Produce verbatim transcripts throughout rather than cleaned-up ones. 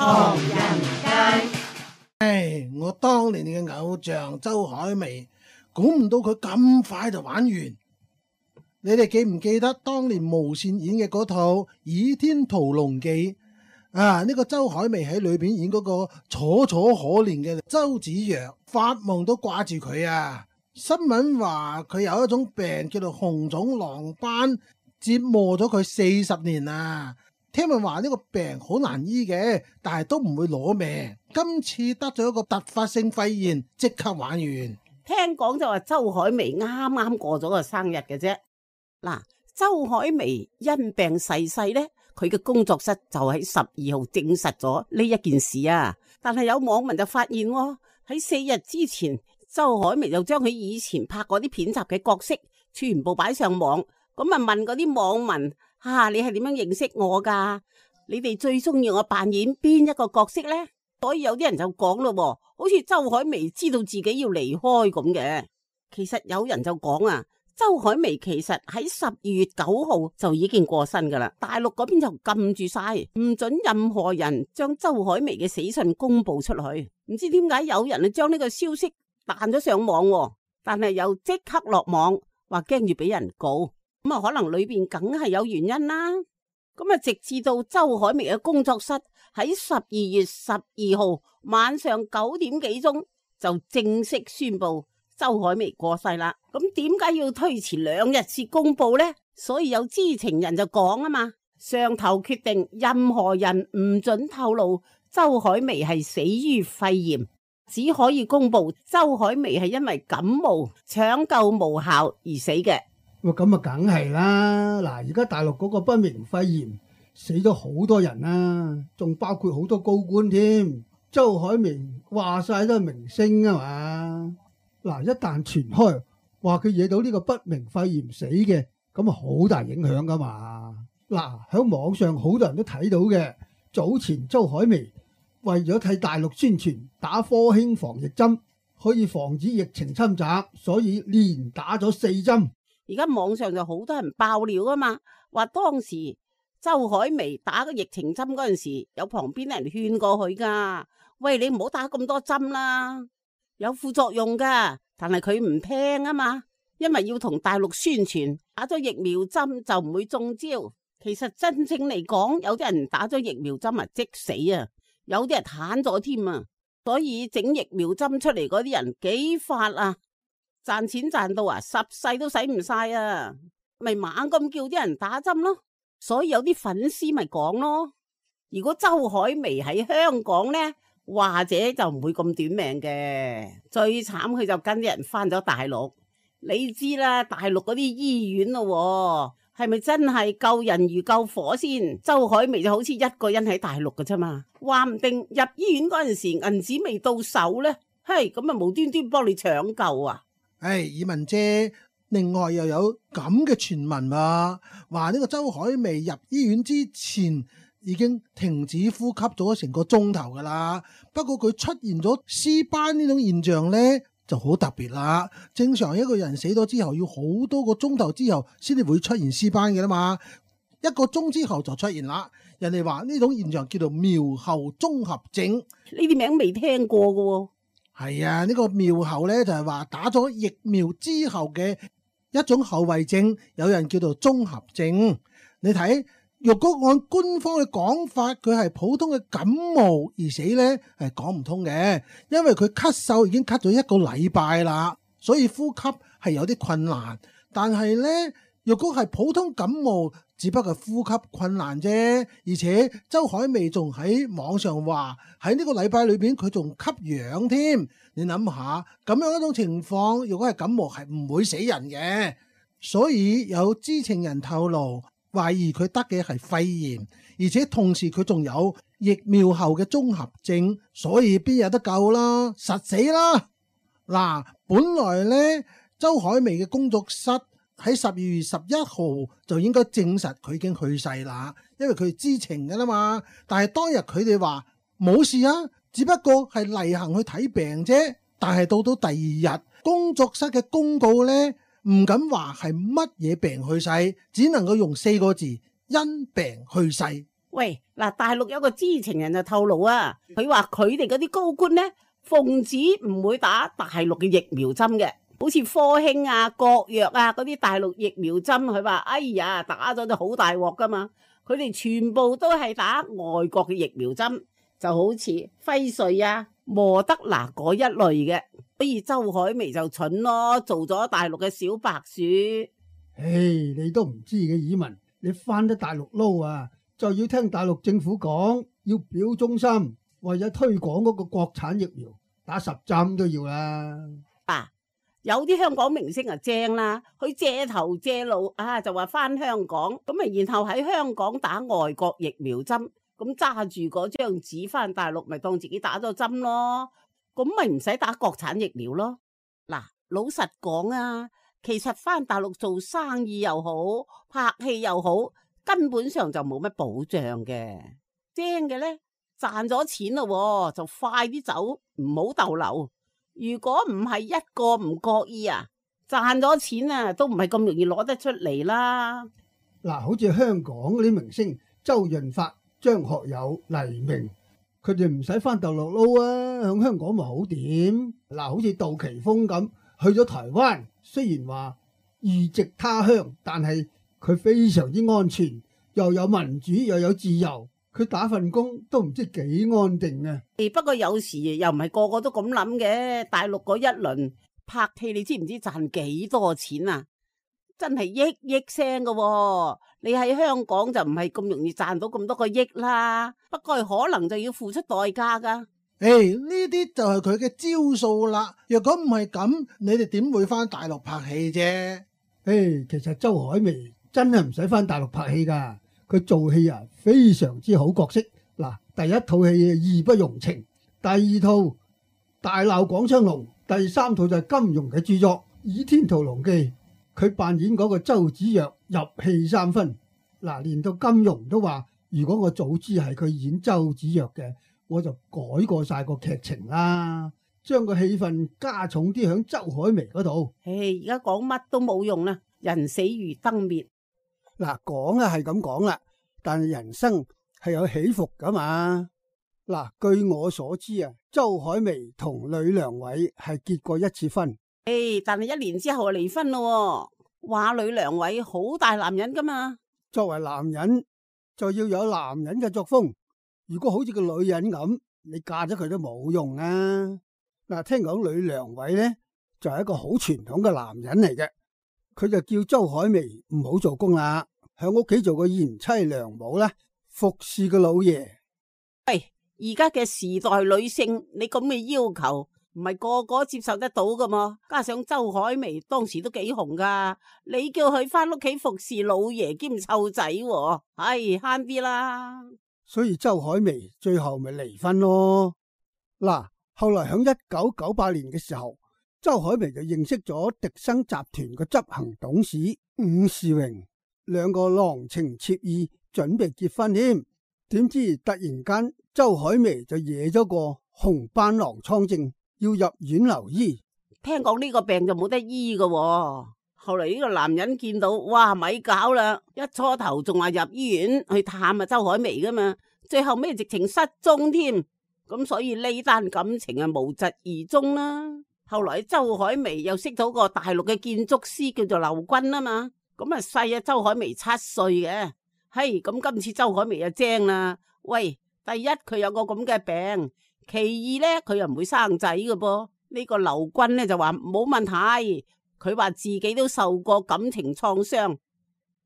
唐人街。唉，我當年嘅偶像周海媚，估唔到佢咁快就玩完。你哋記唔記得當年無綫演嘅嗰套《倚天屠龍記》啊？呢、這個周海媚喺裏邊演嗰個楚楚可憐嘅周芷若，發夢都掛住佢啊！新聞話佢有一種病叫做紅腫狼斑，折磨咗佢四十年啊！聽聞話呢個病好難醫嘅，但係都唔會攞命。今次得咗一個突發性肺炎，即刻玩完。聽講就話周海媚啱啱過咗個生日嘅啫。嗱，周海媚因病逝世呢，佢嘅工作室就喺十二號證實咗呢一件事啊。但係有網民就發現喎，喺四日之前，周海媚就將佢以前拍過啲片集嘅角色全部擺上網，咁啊問嗰啲網民。啊！你係點樣認識我噶？你哋最中意我扮演邊一個角色呢？所以有啲人就講咯，好似周海媚知道自己要離開咁嘅。其實有人就講啊，周海媚其實喺十二月九號就已經過身噶啦。大陸嗰邊就禁住晒，唔准任何人將周海媚嘅死訊公布出去。唔知點解有人啊將呢個消息彈咗上網，但係又即刻落網，話驚住俾人告。咁啊，可能裏邊梗係有原因啦。咁啊，直至到周海媚嘅工作室喺十二月十二號晚上九點幾鐘就正式宣布周海媚過世啦。咁點解要推遲兩日先公布呢？所以有知情人就講啊嘛，上頭決定任何人唔准透露周海媚係死於肺炎，只可以公布周海媚係因為感冒搶救無效而死嘅。咁啊，梗係啦！嗱，而家大陸嗰個不明肺炎死咗好多人啦，仲包括好多高官添。周海媚話晒都係明星啊嘛。嗱，一旦傳開話佢惹到呢個不明肺炎死嘅，咁啊好大影響噶嘛。嗱，喺網上好多人都睇到嘅，早前周海媚為咗替大陸宣傳打科興防疫針，可以防止疫情侵襲，所以連打咗四針。而家網上就好多人爆料啊嘛，話當時周海媚打個疫情針嗰陣時，有旁邊啲人勸過佢噶，喂，你唔好打咁多針啦，有副作用噶。但係佢唔聽啊嘛，因為要同大陸宣傳打咗疫苗針就唔會中招。其實真正嚟講，有啲人打咗疫苗針啊即死啊，有啲人癱咗添啊。所以整疫苗針出嚟嗰啲人幾發啊！賺錢賺到啊，十世都使唔晒啊，咪猛咁叫啲人打針咯。所以有啲粉絲咪講咯，如果周海媚喺香港呢，或者就唔會咁短命嘅。最慘佢就跟啲人翻咗大陸。你知啦，大陸嗰啲醫院咯，係咪真係救人如救火先？周海媚就好似一個人喺大陸㗎啫嘛，話唔定入醫院嗰陣時銀紙未到手呢，嘿，咁啊無端端幫你搶救啊！唉，以文姐，另外又有咁嘅傳聞啊，話呢個周海媚入醫院之前已經停止呼吸咗成個鐘頭噶啦。不過佢出現咗屍斑呢種現象呢，就好特別啦。正常一個人死咗之後要好多個鐘頭之後先至會出現屍斑嘅啦嘛，一個鐘之後就出現啦。人哋話呢種現象叫做苗後綜合症，呢啲名未聽過噶喎。係啊，呢、這個苗後咧就係、是、話打咗疫苗之後嘅一種後遺症，有人叫做綜合症。你睇，若果按官方嘅講法，佢係普通嘅感冒而死咧，係講唔通嘅，因為佢咳嗽已經咳咗一個禮拜啦，所以呼吸係有啲困難。但係咧，若果係普通感冒，只不過呼吸困難啫，而且周海媚仲喺網上話喺呢個禮拜裏邊佢仲吸氧添。你諗下咁樣一種情況，如果係感冒係唔會死人嘅。所以有知情人透露，懷疑佢得嘅係肺炎，而且同時佢仲有疫苗後嘅綜合症，所以邊有得救啦？實死啦！嗱，本來呢，周海媚嘅工作室喺十二月十一號就應該證實佢已經去世啦，因為佢知情噶啦嘛。但係當日佢哋話冇事啊，只不過係例行去睇病啫。但係到到第二日，工作室嘅公告呢，唔敢話係乜嘢病去世，只能夠用四個字：因病去世。喂，嗱，大陸有個知情人就透露啊，佢話佢哋嗰啲高官呢，奉旨唔會打大陸嘅疫苗針嘅，好似科興啊、國藥啊嗰啲大陸疫苗針，佢話哎呀打咗就好大鑊噶嘛，佢哋全部都係打外國嘅疫苗針，就好似輝瑞啊、莫德納嗰一類嘅，所以周海媚就蠢咯，做咗大陸嘅小白鼠。唉，你都唔知嘅，以文，你翻得大陸撈啊，就要聽大陸政府講，要表忠心，為咗推廣嗰個國產疫苗，打十針都要啦。啊，有啲香港明星啊正啦，佢借頭借路啊，就話翻香港，咁啊然後喺香港打外國疫苗針，咁揸住嗰張紙翻大陸，咪當自己打咗針咯，咁咪唔使打國產疫苗咯。嗱，老實講啊，其實翻大陸做生意又好，拍戲又好，根本上就冇乜保障嘅。正嘅呢，賺咗錢咯，就快啲走，唔好逗留。如果唔係一個唔覺意啊，賺咗錢啊，都唔係咁容易攞得出嚟啦。嗱，好似香港嗰啲明星周潤發、張學友、黎明，佢哋唔使翻大陸撈啊，響香港咪好點？嗱，好似杜琪峰咁去咗台灣，雖然話異籍他鄉，但係佢非常之安全，又有民主又有自由，佢打份工都唔知幾安定啊！不過有時又唔係個個都咁諗嘅，大陸嗰一輪拍戲，你知唔知賺幾多錢啊？真係億億聲㗎喎，你喺香港就唔係咁容易賺到咁多個億啦。不過可能就要付出代價噶。誒，呢啲就係佢嘅招數啦。若果唔係咁，你哋點會翻大陸拍戲啫？誒，其實周海媚真係唔使翻大陸拍戲噶，佢做戲啊非常之好角色。嗱，第一套戲義不容情，第二套大鬧廣昌隆，第三套就係金庸嘅著作《倚天屠龍記》。佢扮演嗰個周芷若入戲三分，嗱，連到金庸都話：如果我早知係佢演周芷若嘅，我就改過晒個劇情啦，將個戲份加重啲響周海媚嗰度。唉，而家講乜都冇用啦，人死如燈滅。嗱，講啊係咁講啦，但係人生係有起伏噶嘛。嗱，據我所知啊，周海媚同呂良偉係結過一次婚。誒，hey, 但係一年之後就離婚咯，話呂良偉好大男人噶嘛。作為男人就要有男人嘅作風，如果好似個女人咁，你嫁咗佢都冇用啊。嗱，聽講呂良偉咧就係一個好傳統嘅男人嚟嘅，佢就叫周海媚唔好做工啦，喺屋企做個賢妻良母啦，服侍個老爺。喂，而家嘅時代女性，你咁嘅要求，唔係個個接受得到噶嘛？加上周海媚當時都幾紅噶，你叫佢翻屋企服侍老爺兼湊仔，唉，慳啲啦。所以周海媚最後咪離婚咯。嗱，後來響一九九八年嘅時候，周海媚就認識咗迪生集團嘅執行董事伍士榮，兩個郎情妾意，準備結婚添。點知突然間周海媚就惹咗個紅斑狼瘡症，要入院留醫。聽講呢個病就冇得醫噶喎。後嚟呢個男人見到，哇，咪搞啦！一初頭仲話入醫院去探啊周海媚噶嘛，最後咩直情失蹤添。咁所以呢單感情啊無疾而終啦。後來周海媚又識到個大陸嘅建築師叫做劉軍啊嘛，咁啊細啊周海媚七歲嘅。嘿，咁今次周海媚就精啦。喂，第一佢有個咁嘅病。其二咧，佢又唔會生仔嘅噃。呢個劉軍咧就話冇問題，佢話自己都受過感情創傷，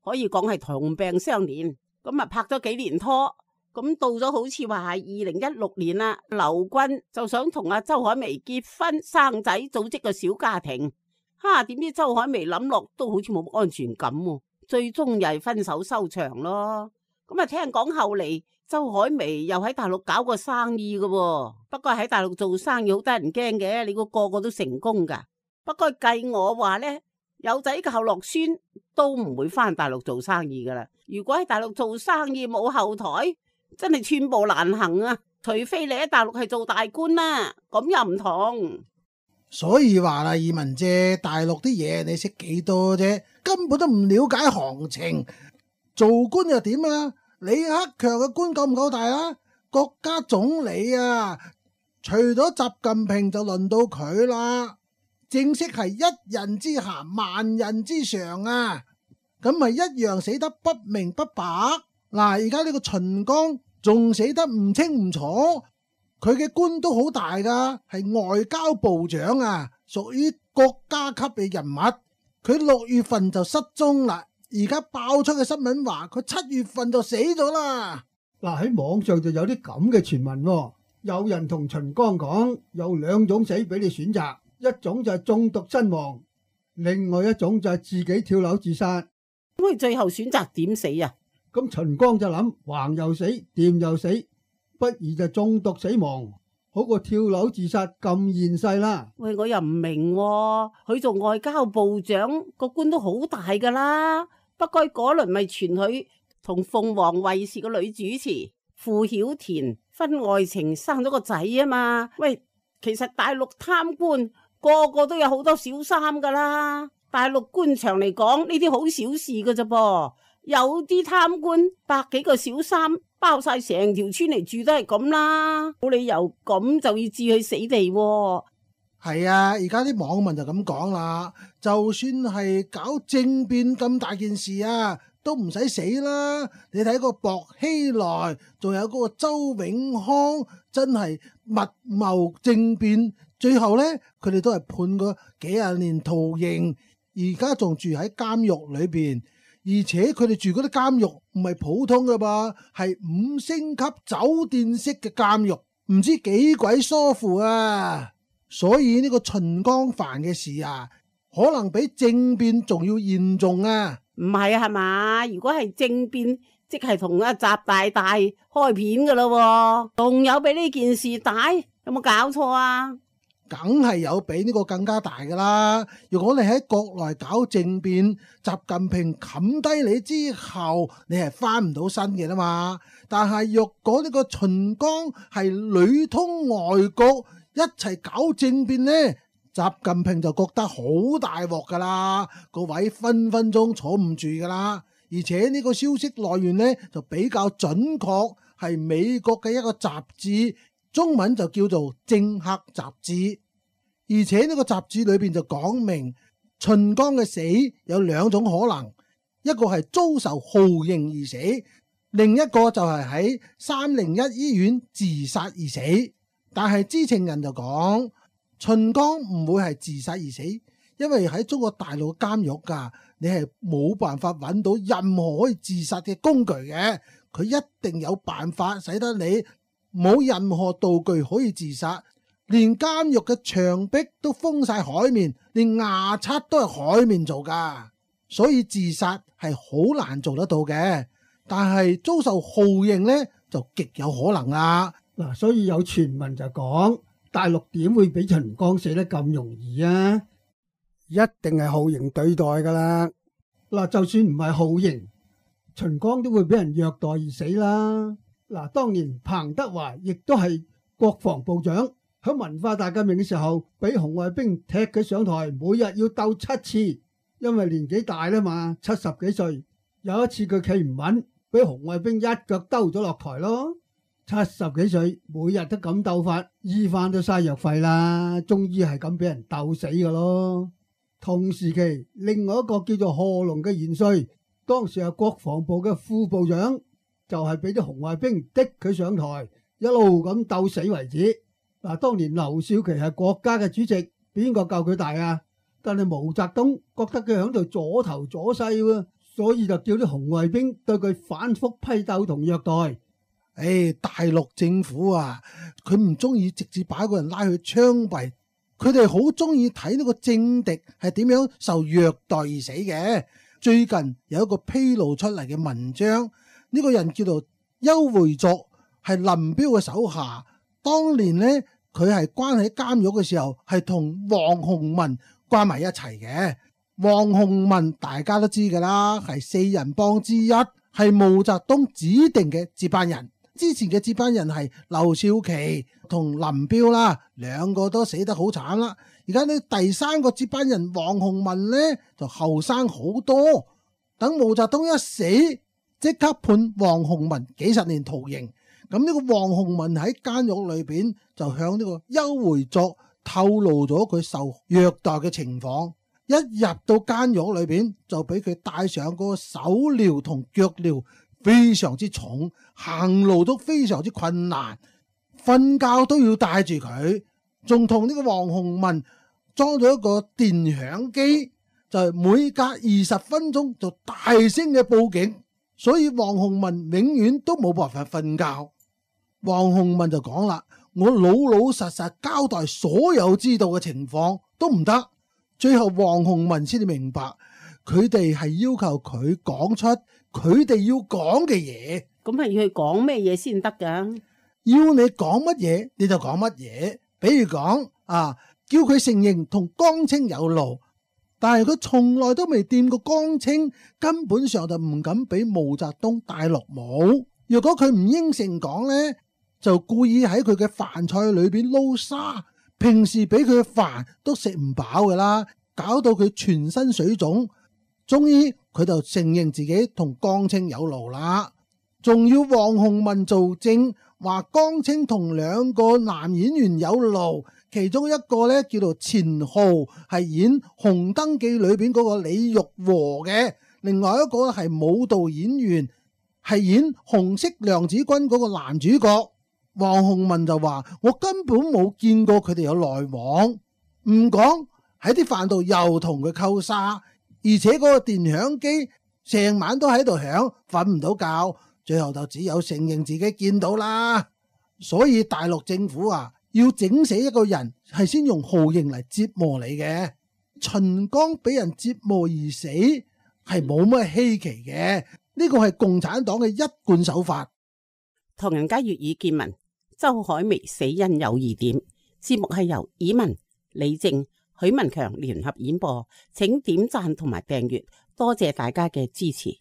可以講係同病相憐。咁啊拍咗幾年拖，咁到咗好似話係二零一六年啦，劉軍就想同阿周海媚結婚生仔，組織個小家庭。哈，點知周海媚諗落都好似冇安全感，最終又係分手收場咯。咁啊聽講後嚟，周海媚又喺大陸搞過生意嘅，不過喺大陸做生意好得人驚嘅，你估個個都成功噶。不過計我話呢，有仔靠落孫都唔會翻大陸做生意噶啦。如果喺大陸做生意冇後台，真係寸步難行啊！除非你喺大陸係做大官啦，咁又唔同。所以話啦，二汶姐，大陸啲嘢你識幾多啫？根本都唔了解行情。做官又點啊？李克強嘅官夠唔夠大啊？國家總理啊，除咗習近平就輪到佢啦。正式係一人之下萬人之上啊，咁咪一樣死得不明不白。嗱，而家呢個秦剛仲死得唔清唔楚，佢嘅官都好大噶，係外交部長啊，屬於國家級嘅人物。佢六月份就失蹤啦，而家爆出嘅新聞話佢七月份就死咗啦。嗱，喺網上就有啲咁嘅傳聞喎，有人同秦剛講有兩種死俾你選擇，一種就係中毒身亡，另外一種就係自己跳樓自殺。咁佢最後選擇點死啊？咁秦剛就諗橫又死，掂又死，不如就中毒死亡，好過跳樓自殺咁現世啦。喂，我又唔明喎，佢做外交部長個官都好大噶啦，不過嗰輪咪傳佢同鳳凰衛視個女主持傅曉田婚外情生咗個仔啊嘛。喂，其實大陸貪官個個都有好多小三噶啦，大陸官場嚟講呢啲好小事噶啫噃，有啲貪官百幾個小三包晒成條村嚟住都係咁啦，冇理由咁就要置佢死地喎。係啊，而家啲網民就咁講啦，就算係搞政變咁大件事啊，都唔使死啦！你睇個薄熙來，仲有嗰個周永康，真係密謀政變，最後呢，佢哋都係判過幾廿年徒刑，而家仲住喺監獄裏邊，而且佢哋住嗰啲監獄唔係普通㗎噃，係五星級酒店式嘅監獄，唔知幾鬼疏乎啊！所以呢個秦剛犯嘅事啊，可能比政變仲要嚴重啊！唔係啊，係嘛？如果係政變，即係同阿習大大開片噶咯，仲有比呢件事大？有冇搞錯啊？梗係有比呢個更加大噶啦！如果你喺國內搞政變，習近平冚低你之後，你係翻唔到身嘅啦嘛。但係若果呢個秦剛係裏通外國一齊搞政變呢，習近平就覺得好大鑊噶啦，個位分分鐘坐唔住噶啦。而且呢個消息來源呢就比較準確，係美國嘅一個雜誌，中文就叫做《政客雜誌》。而且呢個雜誌裏邊就講明秦剛嘅死有兩種可能，一個係遭受酷刑而死，另一個就係喺三零一醫院自殺而死。但係知情人就講，秦剛唔會係自殺而死，因為喺中國大陸監獄噶，你係冇辦法揾到任何可以自殺嘅工具嘅，佢一定有辦法使得你冇任何道具可以自殺，連監獄嘅牆壁都封晒海綿，連牙刷都係海綿做噶，所以自殺係好難做得到嘅。但係遭受酷刑呢，就極有可能啦。嗱，所以有傳聞就講大陸點會俾秦剛死得咁容易啊？一定係酷刑對待噶啦。嗱，就算唔係酷刑，秦剛都會俾人虐待而死啦。嗱，當年彭德懷亦都係國防部長，喺文化大革命嘅時候，俾紅衛兵踢佢上台，每日要鬥七次，因為年紀大啦嘛，七十幾歲。有一次佢企唔穩，俾紅衛兵一腳兜咗落台咯。七十幾歲，每日都咁鬥法，醫翻都嘥藥費啦，終於係咁俾人鬥死噶咯。同時期，另外一個叫做賀龍嘅元帥，當時係國防部嘅副部長，就係俾啲紅衛兵逼佢上台，一路咁鬥死為止。嗱，當年劉少奇係國家嘅主席，邊個夠佢大啊？但係毛澤東覺得佢喺度阻頭阻勢喎，所以就叫啲紅衛兵對佢反覆批鬥同虐待。誒、哎，大陸政府啊，佢唔中意直接把個人拉去槍斃，佢哋好中意睇呢個政敵係點樣受虐待而死嘅。最近有一個披露出嚟嘅文章，呢、這個人叫做邱會作，係林彪嘅手下。當年呢，佢係關喺監獄嘅時候，係同王洪文關埋一齊嘅。王洪文大家都知噶啦，係四人幫之一，係毛澤東指定嘅接班人。之前嘅接班人係劉少奇同林彪啦，兩個都死得好慘啦。而家呢第三個接班人王洪文呢就後生好多。等毛澤東一死，即刻判黃洪文幾十年徒刑。咁呢個黃洪文喺監獄裏邊就向呢個邱會作透露咗佢受虐待嘅情況。一入到監獄裏邊就俾佢戴上嗰個手鐐同腳鐐，非常之重，行路都非常之困難，瞓覺都要帶住佢。仲同呢個黃洪文裝咗一個電響機，就係每隔二十分鐘就大聲嘅報警，所以黃洪文永遠都冇辦法瞓覺。黃洪文就講啦，我老老實實交代所有知道嘅情況都唔得。最後黃洪文先至明白，佢哋係要求佢講出佢哋要講嘅嘢。咁係要佢講咩嘢先得噶？要你講乜嘢你就講乜嘢。比如講啊，叫佢承認同江青有路，但係佢從來都未掂過江青，根本上就唔敢俾毛澤東戴綠帽。如果佢唔應承講呢，就故意喺佢嘅飯菜裏邊撈沙，平時俾佢嘅飯都食唔飽噶啦，搞到佢全身水腫。終於佢就承認自己同江青有路啦，仲要黃洪文做證，話江青同兩個男演員有路，其中一個咧叫做錢浩，係演《紅燈記》裏邊嗰個李玉和嘅，另外一個係舞蹈演員，係演《紅色娘子軍》嗰個男主角。黃洪文就話：我根本冇見過佢哋有來往，唔講喺啲飯度又同佢溝沙，而且嗰個電響機成晚都喺度響，瞓唔到覺，最後就只有承認自己見到啦。所以大陸政府啊，要整死一個人係先用酷刑嚟折磨你嘅。秦剛俾人折磨而死係冇乜稀奇嘅，呢個係共產黨嘅一貫手法。唐人街粵語見聞，周海媚死因有疑點。節目係由以文、李正、許文強聯合演播，請點讚同埋訂閱，多謝大家嘅支持。